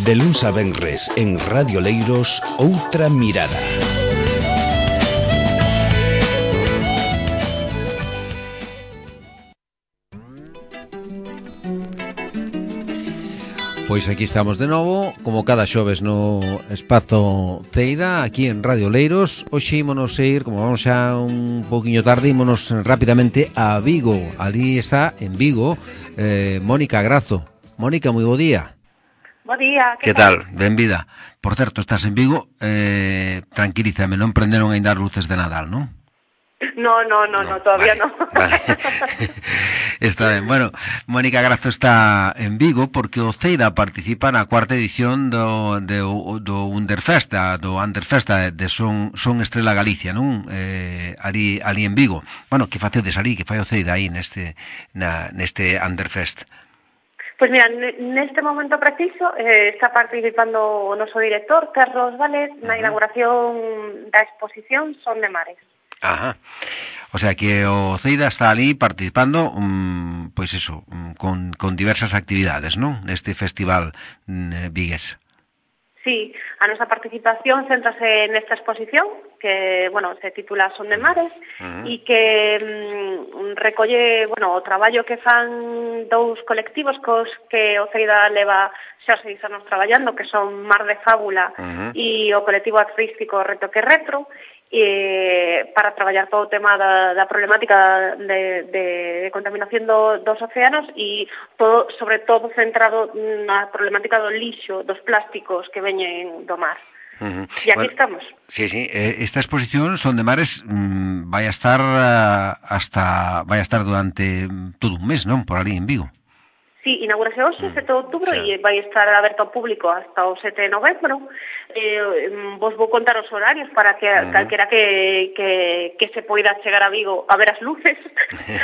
De luns a venres en Radio Leiros, Outra Mirada. Pois aquí estamos de novo, como cada xoves no Espazo Ceida, aquí en Radio Leiros. Hoxe ímonos a ir, como vamos xa un poquinho tarde, ímonos rapidamente a Vigo. Ali está, en Vigo, Mónica Grazo. Mónica, moi bo día. Bo día, que tal? Benvida. Por certo, estás en Vigo, tranquilízame, non prenderon aínda as luces de Nadal, non? No, todavía vale, no. Vale. Está ben. Bueno, Mónica Grazo está en Vigo porque o Ceida participa na cuarta edición do Underfest, do Underfest de Son Estrela Galicia, non? Ali en Vigo. Bueno, que facedes ali, que fai o Ceida aí neste Underfest? Pois mira, neste momento preciso está participando o noso director, Carlos Vales, na inauguración da exposición Son de Mares. Ajá. O sea que o Ceida está ali participando pois eso, con diversas actividades, non? Neste festival vigués. Sí, a nosa participación céntrase nesta exposición que, bueno, se titula Son de Mares e que recolle, bueno, o traballo que fan dous colectivos cos que o Ceida leva xa 6 anos traballando, que son Mar de Fábula e o colectivo artístico Retoque Retro, para traballar todo o tema da problemática de contaminación dos océanos e todo, sobre todo centrado na problemática do lixo, dos plásticos que veñen do mar. E aquí estamos. Sí, esta exposición Son de Mares vai a estar durante todo un mes, non? Por ali en Vigo. Sí, inaugurase hoxe, 7 de outubro, e vai estar aberto ao público hasta o 7 de novembro. Vos vou contar os horarios para que calquera que se poida chegar a Vigo a ver as luces.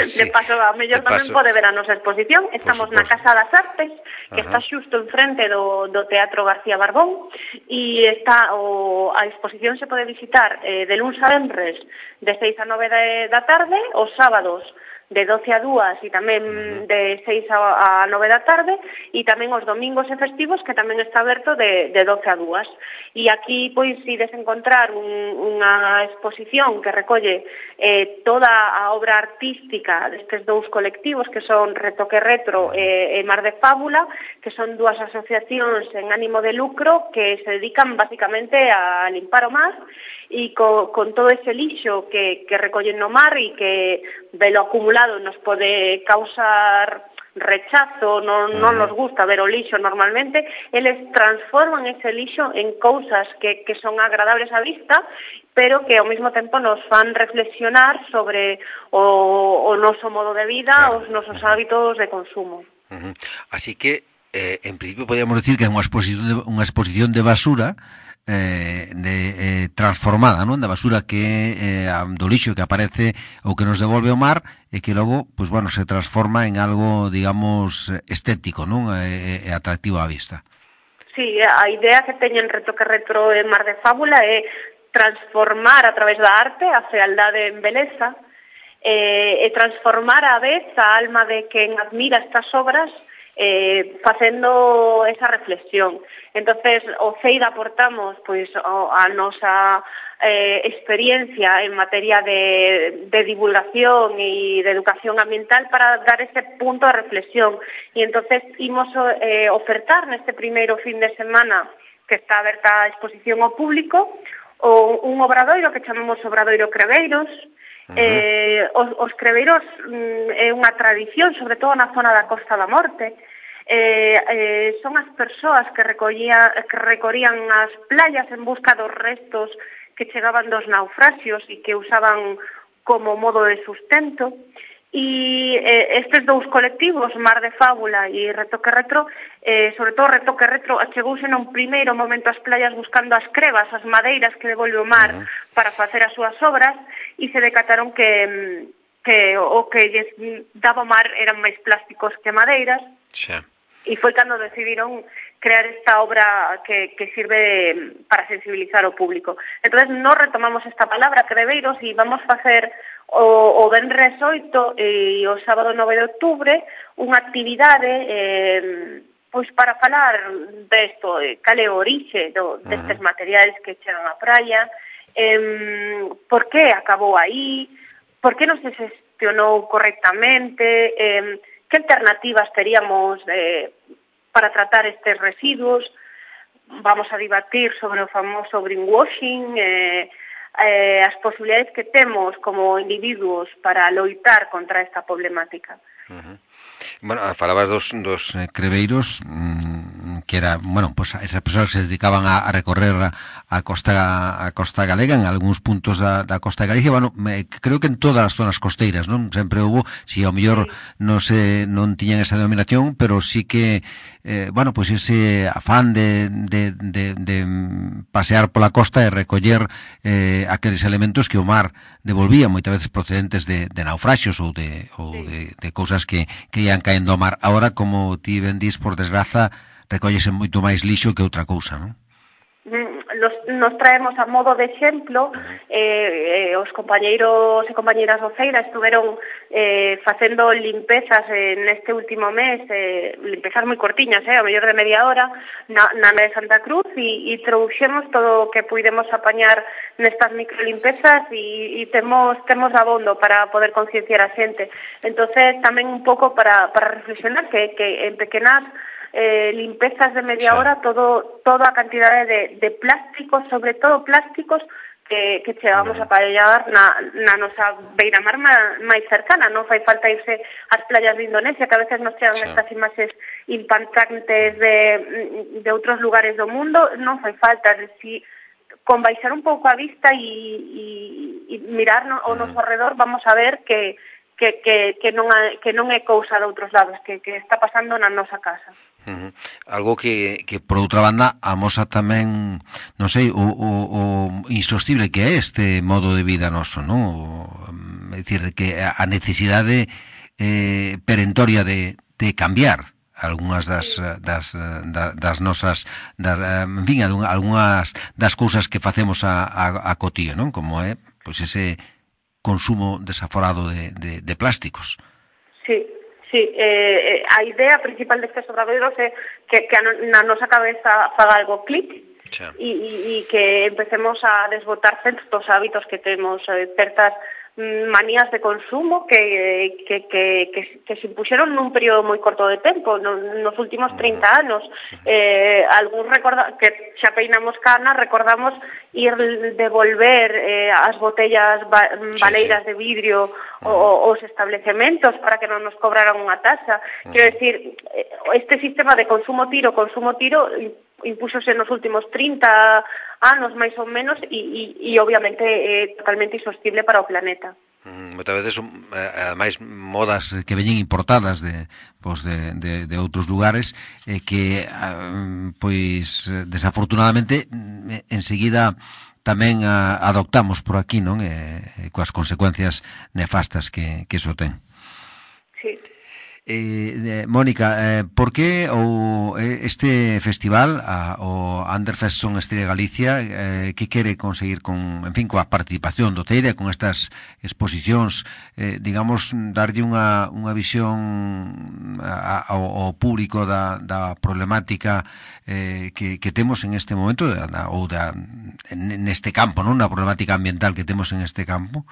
Sí, de paso, a mellor tamén pode ver a nosa exposición. Estamos na Casa das Artes, que está xusto enfrente do Teatro García Barbón, e a exposición se pode visitar de luns a venres de 6 a 9 da tarde, os sábados de 12 a 2 e tamén de 6 a 9 da tarde, e tamén os domingos e festivos que tamén está aberto de 12 a 2. E aquí, pois, ides encontrar unha exposición que recolle toda a obra artística destes dous colectivos que son Retoque Retro e Mar de Fábula, que son dúas asociacións en ánimo de lucro que se dedican basicamente a limpar o mar e con todo ese lixo que recollen no mar e que velo acumulado nos pode causar rechazo, non nos gusta ver o lixo normalmente, eles transforman ese lixo en cousas que son agradables á vista, pero que ao mesmo tempo nos fan reflexionar sobre o noso modo de vida, os nosos hábitos de consumo. Así que, en principio, podríamos decir que é unha exposición de basura transformada, non? Da basura que do lixo que aparece ou que nos devolve o mar e que logo, pois bueno, se transforma en algo, digamos, estético, non? E atractivo á vista. Sí, a idea que teñen Retoque Retro e Mar de Fábula é transformar a través da arte a fealdade en beleza e transformar a vez a alma de quen admira estas obras facendo esa reflexión. Entonces, o Ceida aportamos pois a nosa experiencia en materia de divulgación e de educación ambiental para dar ese punto de reflexión. E entonces imos ofertar neste primeiro fin de semana que está aberta a exposición ao público un obradoiro que chamamos Obradoiro Creveiros. Os creveiros é unha tradición, sobre todo na zona da Costa da Morte. Son as persoas que recorrían as playas en busca dos restos que chegaban dos naufraxios e que usaban como modo de sustento. E estes dous colectivos, Mar de Fábula e Retoque Retro, sobre todo Retoque Retro, achegouse nun primeiro momento ás playas buscando as crevas, as madeiras que devolve o mar para facer as súas obras, e se decataron que o que lles daba o mar eran máis plásticos que madeiras. Xa. E foi cando decidiron crear esta obra que sirve para sensibilizar o público. Entonces, nos retomamos esta palabra, creveiros, e vamos facer o venres 8 e o sábado 9 de outubro unha actividade pois para falar desto, cal é o orixe destes materiais que chegan á praia, por que acabou aí, por que non se gestionou correctamente, que alternativas teríamos para tratar estes residuos. Vamos a debatir sobre o famoso greenwashing, as posibilidades que temos como individuos para loitar contra esta problemática. Bueno, falabas dos creveiros, que era, bueno, pues esas persoas que se dedicaban a recorrer a costa galega en algúns puntos da costa de Galicia. Bueno, creo que en todas as zonas costeiras, non? Sempre houve, si ao mellor non tiñan esa denominación, pero sí que bueno, pues ese afán de pasear pola costa e recoller aqueles elementos que o mar devolvía, moitas veces procedentes de naufraxios ou de cousas que ian caendo ao mar. Ahora, como ti ben dis, por desgraza, recollese moito máis lixo que outra cousa, non? Nos traemos a modo de exemplo, os compañeiros e compañeiras do Feira estuveron facendo limpezas neste último mes, limpezas moi cortiñas, a mellor de media hora, na de Santa Cruz, e trouxemos todo o que puidemos apañar nestas microlimpezas e temos abondo para poder concienciar a xente. Entonces, tamén un pouco para reflexionar que en pequenas limpezas de media hora, toda a cantidade de plásticos, sobre todo plásticos que chegamos a aparellar na nosa beira-mar máis cercana. Non fai falta irse ás playas de Indonesia, que a veces nos chegan estas imaxes impactantes de outros lugares do mundo. Non fai falta, si con baixar un pouco a vista e mirar ao noso arredor, vamos a ver que non é cousa de outros lados, que está pasando na nosa casa. Algo que por outra banda amosa tamén, non sei, o insostible que é este modo de vida noso, non? É dicir, que a necesidade perentoria de cambiar algunhas das nosas, en fin, algunhas das cousas que facemos a cotío, non? Como é, pois, ese consumo desaforado de plásticos. Sí. Sí, a idea principal destes obradoiros é que na nosa cabeza faga algo clic e que empecemos a desbotar certos hábitos que temos, certas manías de consumo que se impuxeron nun período moi corto de tempo, nos últimos 30 anos. Algúns que xa peinamos cana, recordamos ir devolver as botellas baleiras de vidrio os establecementos para que non nos cobraran unha taxa. Quero decir, este sistema de consumo tiro impúxose nos últimos 30 anos, máis ou menos, e obviamente é totalmente insostible para o planeta. Moitas veces, ademais, modas que veñen importadas de outros lugares, que, pois, desafortunadamente, enseguida tamén adoptamos por aquí, non? Coas consecuencias nefastas que iso ten. Sí. Mónica, por que este festival, o Underfest Son Estrella Galicia, que quere conseguir coa participación do Teide, con estas exposicións, digamos, darlle unha visión ao público da problemática que temos en este momento, ou neste campo, non? Na problemática ambiental que temos en este campo?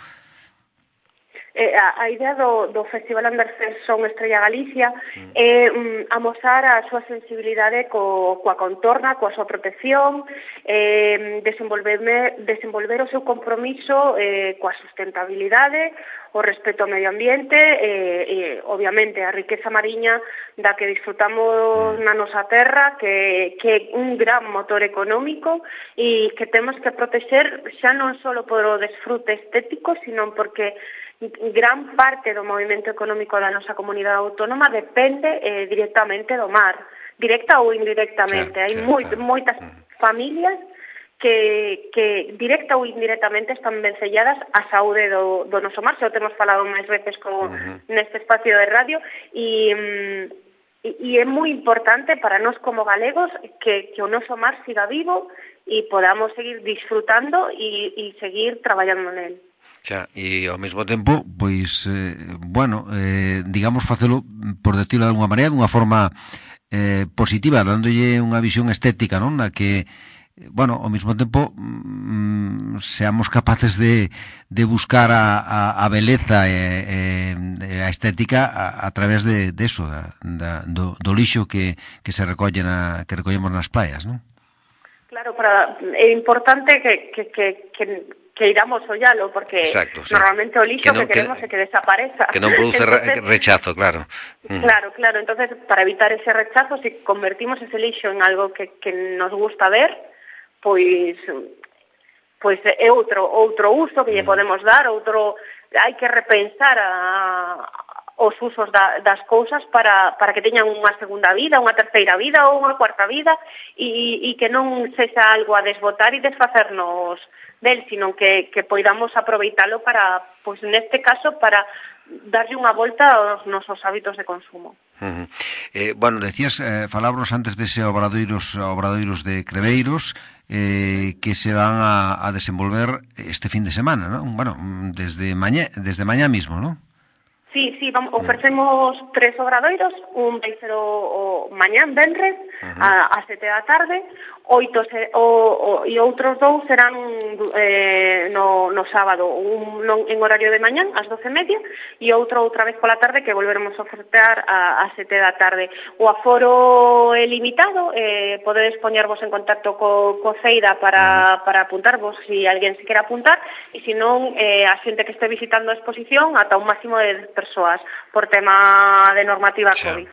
A idea do Festival Underfest Son Estrella Galicia é amosar a súa sensibilidade coa contorna, coa súa protección, desenvolver o seu compromiso coa sustentabilidade, o respeto ao medio ambiente e, obviamente, a riqueza mariña da que disfrutamos na nosa terra, que é un gran motor económico e que temos que protexer xa non só por o desfrute estético, sino porque gran parte do movimento económico da nosa comunidade autónoma depende directamente do mar, directa ou indirectamente. Hai moitas familias que directa ou indirectamente están vencelladas á saúde do noso mar, xa o temos falado máis veces neste espacio de radio, e é moi importante para nós como galegos que o noso mar siga vivo e podamos seguir disfrutando e seguir traballando nel. Xa, e ao mesmo tempo, pois, digamos, facelo, por decirlo de alguma maneira, dunha forma positiva, dándolle unha visión estética, non? Na que, bueno, ao mesmo tempo seamos capaces de buscar a beleza e a estética a través de eso, do lixo que se recolle que recollemos nas praias, non? Claro, é importante que iramos ollalo, porque exacto, sí. Normalmente o lixo que queremos é que desapareza. Que non produce entonces, rechazo, claro. Claro, entonces para evitar ese rechazo, si convertimos ese lixo en algo que nos gusta ver, pois é outro uso que lle podemos dar, hai que repensar os usos das cousas para que teñan unha segunda vida, unha terceira vida ou unha cuarta vida e que non sexa algo a desbotar e desfacernos del, sino que poidamos aproveitalo para, pois neste caso, para darlle unha volta aos nosos hábitos de consumo. Bueno, decías, falábamos antes dese obradoiros de Creveiros que se van a desenvolver este fin de semana, ¿no? Bueno, desde mañá mismo, ¿no? Sí, ofrecemos 3 obradoiros, un vai ser o mañán, venres, a 7 da tarde, 8 e outros 2 serán no sábado, un en horario de mañán, ás 12:30, e outro outra vez pola tarde que volveremos a ofertar a 7 da tarde. O aforo é limitado, podedes poñervos en contacto co Ceida para apuntarvos se alguén se quere apuntar, e se non, a xente que este visitando a exposición ata un máximo de 10 persoas por tema de normativa COVID.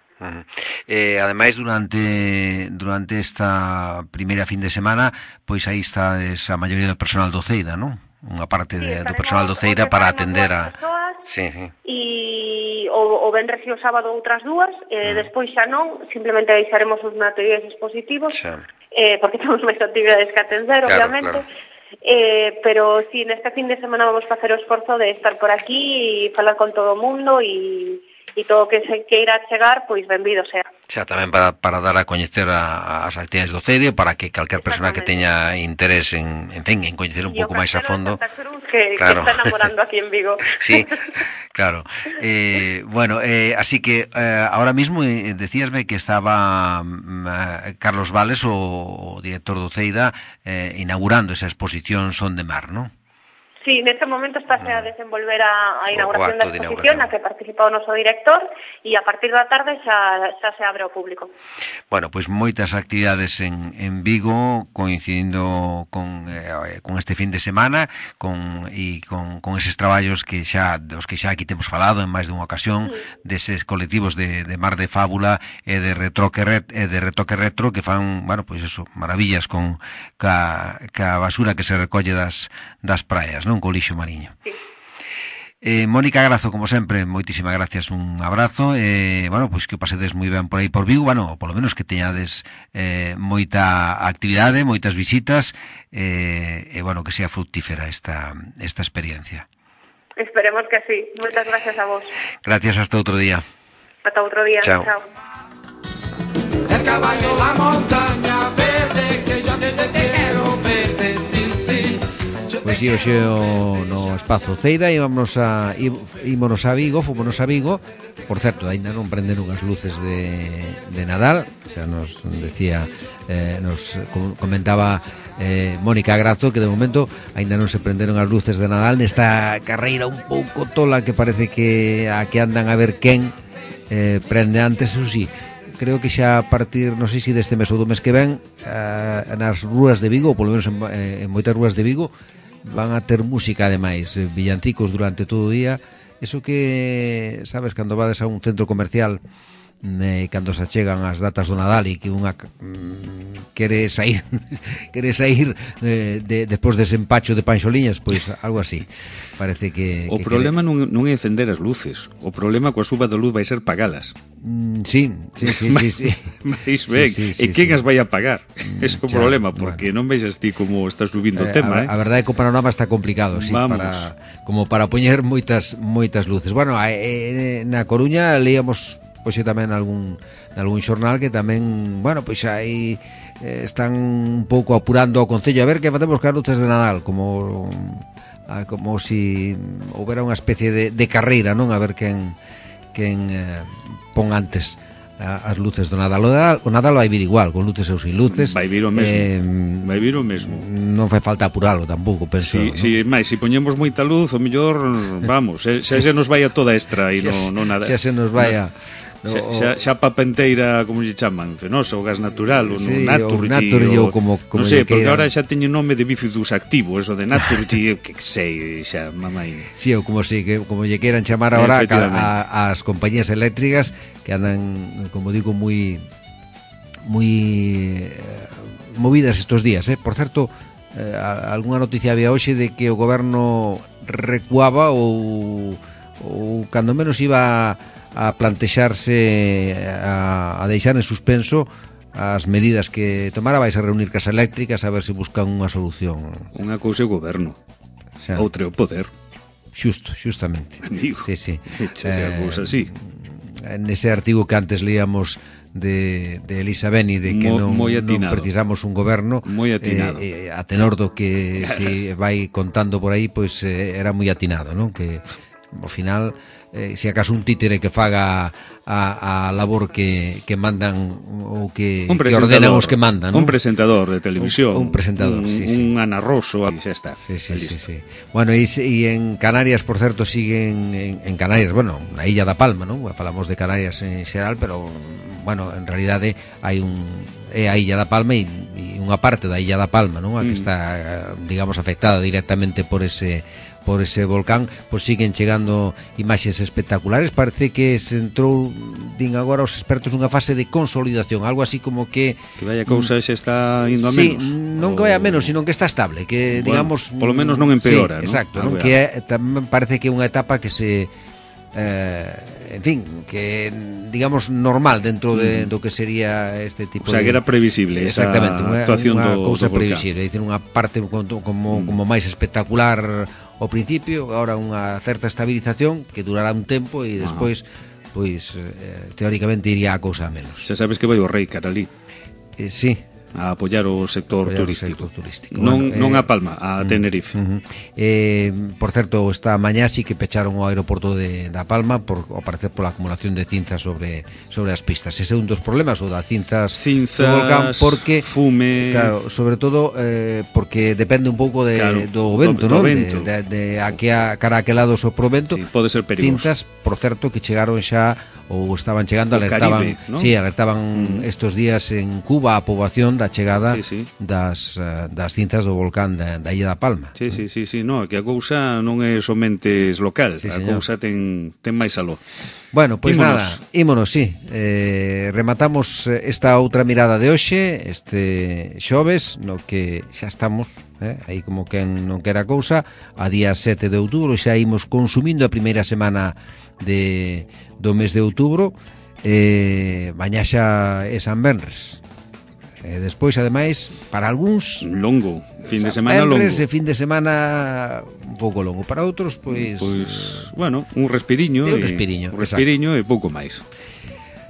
Ademais, durante esta primeira fin de semana, pois aí está a maioría do personal do Ceida, non? Unha parte do personal do Ceida para atender a... E o venres e o sábado outras 2, despois xa non, simplemente deixaremos os materiais expositivos, porque temos máis actividades que atender, obviamente. Pero si neste fin de semana vamos facer o esforzo de estar por aquí e falar con todo o mundo e todo o que se queira chegar, pois benvido sea. Xa, tamén para dar a coñecer as actividades do CEDIO, para que calquer persona que teña interés en coñecer un pouco máis a fondo. Que está enamorando aquí en Vigo. Sí, claro. Bueno, así que ahora mismo decíasme que estaba Carlos Vales, o director do CEIDA, inaugurando esa exposición Son de Mar, ¿no? Sí, neste momento está a desenvolver a inauguración da exposición na que participa o noso director e a partir da tarde xa se abre ao público. Bueno, pois moitas actividades en Vigo coincidindo con este fin de semana con eses traballos dos que xa aquí temos falado en máis dunha ocasión, deses colectivos de Mar de Fábula e de Retoque Retro que fan, bueno, pois eso, maravillas ca basura que se recolle das praias, non? Co lixo mariño. Sí. Mónica Grazo, como sempre, moitísimas gracias, un abrazo, bueno, pois que o pasedes moi ben por aí por Vigo, bueno, polo menos que teñades moita actividade, moitas visitas, bueno, que sea fructífera esta experiencia. Esperemos que sí. Moitas gracias a vos. Gracias, hasta outro día. Hasta outro día. Chao. El caballo, la montaña verde, que yo te quiero verde, sí, sí. Pois si hoxe no espazo Ceida ímonos a Vigo, fomos a Vigo. Por certo, aínda non prenderon as luces de Nadal. Xa nos decía, nos comentaba Mónica Grazo que de momento aínda non se prenderon as luces de Nadal nesta carreira un pouco tola que parece que a que andan a ver quen prende antes, ou si. Creo que xa a partir, non sei se deste mes ou do mes que ven, nas rúas de Vigo, ou polo menos en moitas rúas de Vigo, van a ter música ademais, villancicos durante todo o día. Eso que, sabes, cando vades a un centro comercial, cando se achegan as datas do Nadal e que unha quere sair despois dese empacho de panxoliñas, pois algo así. Parece que o problema non é encender as luces, o problema coa suba da luz vai ser pagalas. Sí. Mais ben, e quen as vai a pagar? Ese é o problema, porque non vexas ti como está subindo o tema. A verdade é que o panorama está complicado, sí, como para poñer moitas luces. Bueno, na Coruña leíamos hoxe tamén algún xornal que tamén, bueno, pois aí están un pouco apurando o Concello a ver que facemos cas luces de Nadal, como si houbera unha especie de carreira, non? A ver quen pon antes as luces do Nadal. O Nadal vai vir igual, con luces ou sin luces. Vai vir o mesmo. Vai vir o mesmo. Non fai falta apuralo tampouco, penso. Si poñemos moita luz, o mellor, vamos, xa se nos vai a toda extra e non nada. Xa se nos vai a... Xa papenteira, como lle chaman, fenosa, o gas natural, o Naturgy, ou como non sei, porque agora xa teño nome de bifidus activo, eso de Naturgy, que sei, xa, mamai. Sí, ou como lle queiran chamar agora as compañías eléctricas que andan, como digo, moi movidas estos días, Por certo, algunha noticia había hoxe de que o goberno recuaba ou cando menos iba a plantexarse a deixar en suspenso as medidas que tomara. Vais a reunir cas eléctricas a ver se buscan unha solución. Unha cousa é o goberno, outra é o poder. Justamente. Amigo, sí. Cousa así. Nese artigo que antes leíamos de Elisa Beni, de que non precisamos un goberno, a tenor do que se vai contando por aí, pois era moi atinado, non? Que ao final, se acaso un títere que faga a labor que mandan ou que ordenan os que mandan, non? Un presentador de televisión, un presentador, un Ana Rosso, xa está. Sí. Bueno, e en Canarias, por certo, siguen en Canarias, bueno, na Illa da Palma, non? Falamos de Canarias en xeral, pero bueno, en realidade hai a Illa da Palma e unha parte da Illa da Palma, non? A que está, digamos, afectada directamente por ese volcán, pois siguen chegando imaxes espectaculares. Parece que se entrou, din agora os expertos, unha fase de consolidación, algo así como que vaya cousa xa está indo a menos. Sí, non que vaya a menos, sino que está estable, que digamos, polo menos non empeora, sí, exacto, non? Que tamén parece que é unha etapa que se en fin, que digamos normal dentro do que sería este tipo de... O sea, que era previsible esa actuación unha do cousa volcán. Previsible, é dicir, unha parte como máis espectacular ao principio, agora unha certa estabilización que durará un tempo e despois pois teóricamente iría a cousa a menos. Xa sabes que vai o rei Caralí. Sí, a apoiar o sector turístico. Non a Palma, a Tenerife. Por certo, esta mañá sí que pecharon o aeroporto da Palma ao parecer pola acumulación de cinzas sobre as pistas. Ese é un dos problemas, o das cinzas do volcán, porque fume, claro, sobre todo porque depende un pouco do vento, non? De cara a que lado sopra o vento. Sí, pode ser perigoso. Cinzas, por certo, que chegaron xa ou estaban chegando, alertaban, Caribe, ¿no? Sí, alertaban estos días en Cuba a poboación da chegada das cinzas do volcán da Illa da Palma. Sí, no, que a cousa non é somente local, a cousa ten máis aló. Bueno, pois nada, ímonos, sí. Rematamos esta outra mirada de hoxe, este xoves, no que xa estamos, aí como que non quera cousa, a día 7 de outubro, xa imos consumindo a primeira semana do mes de outubro, mañá xa é San Benres. Despois, ademais, para algúns longo, fin de semana longo. Fin de semana un pouco longo, para outros, pois bueno, un respiriño e pouco máis.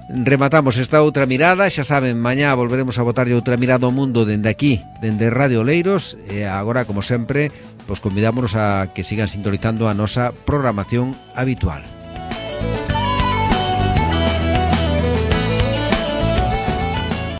Rematamos esta outra mirada, xa saben, mañá volveremos a botarlle outra mirada ao mundo dende aquí, dende Radio Oleiros, e agora, como sempre, pois convidámonos a que sigan sintonizando a nosa programación habitual.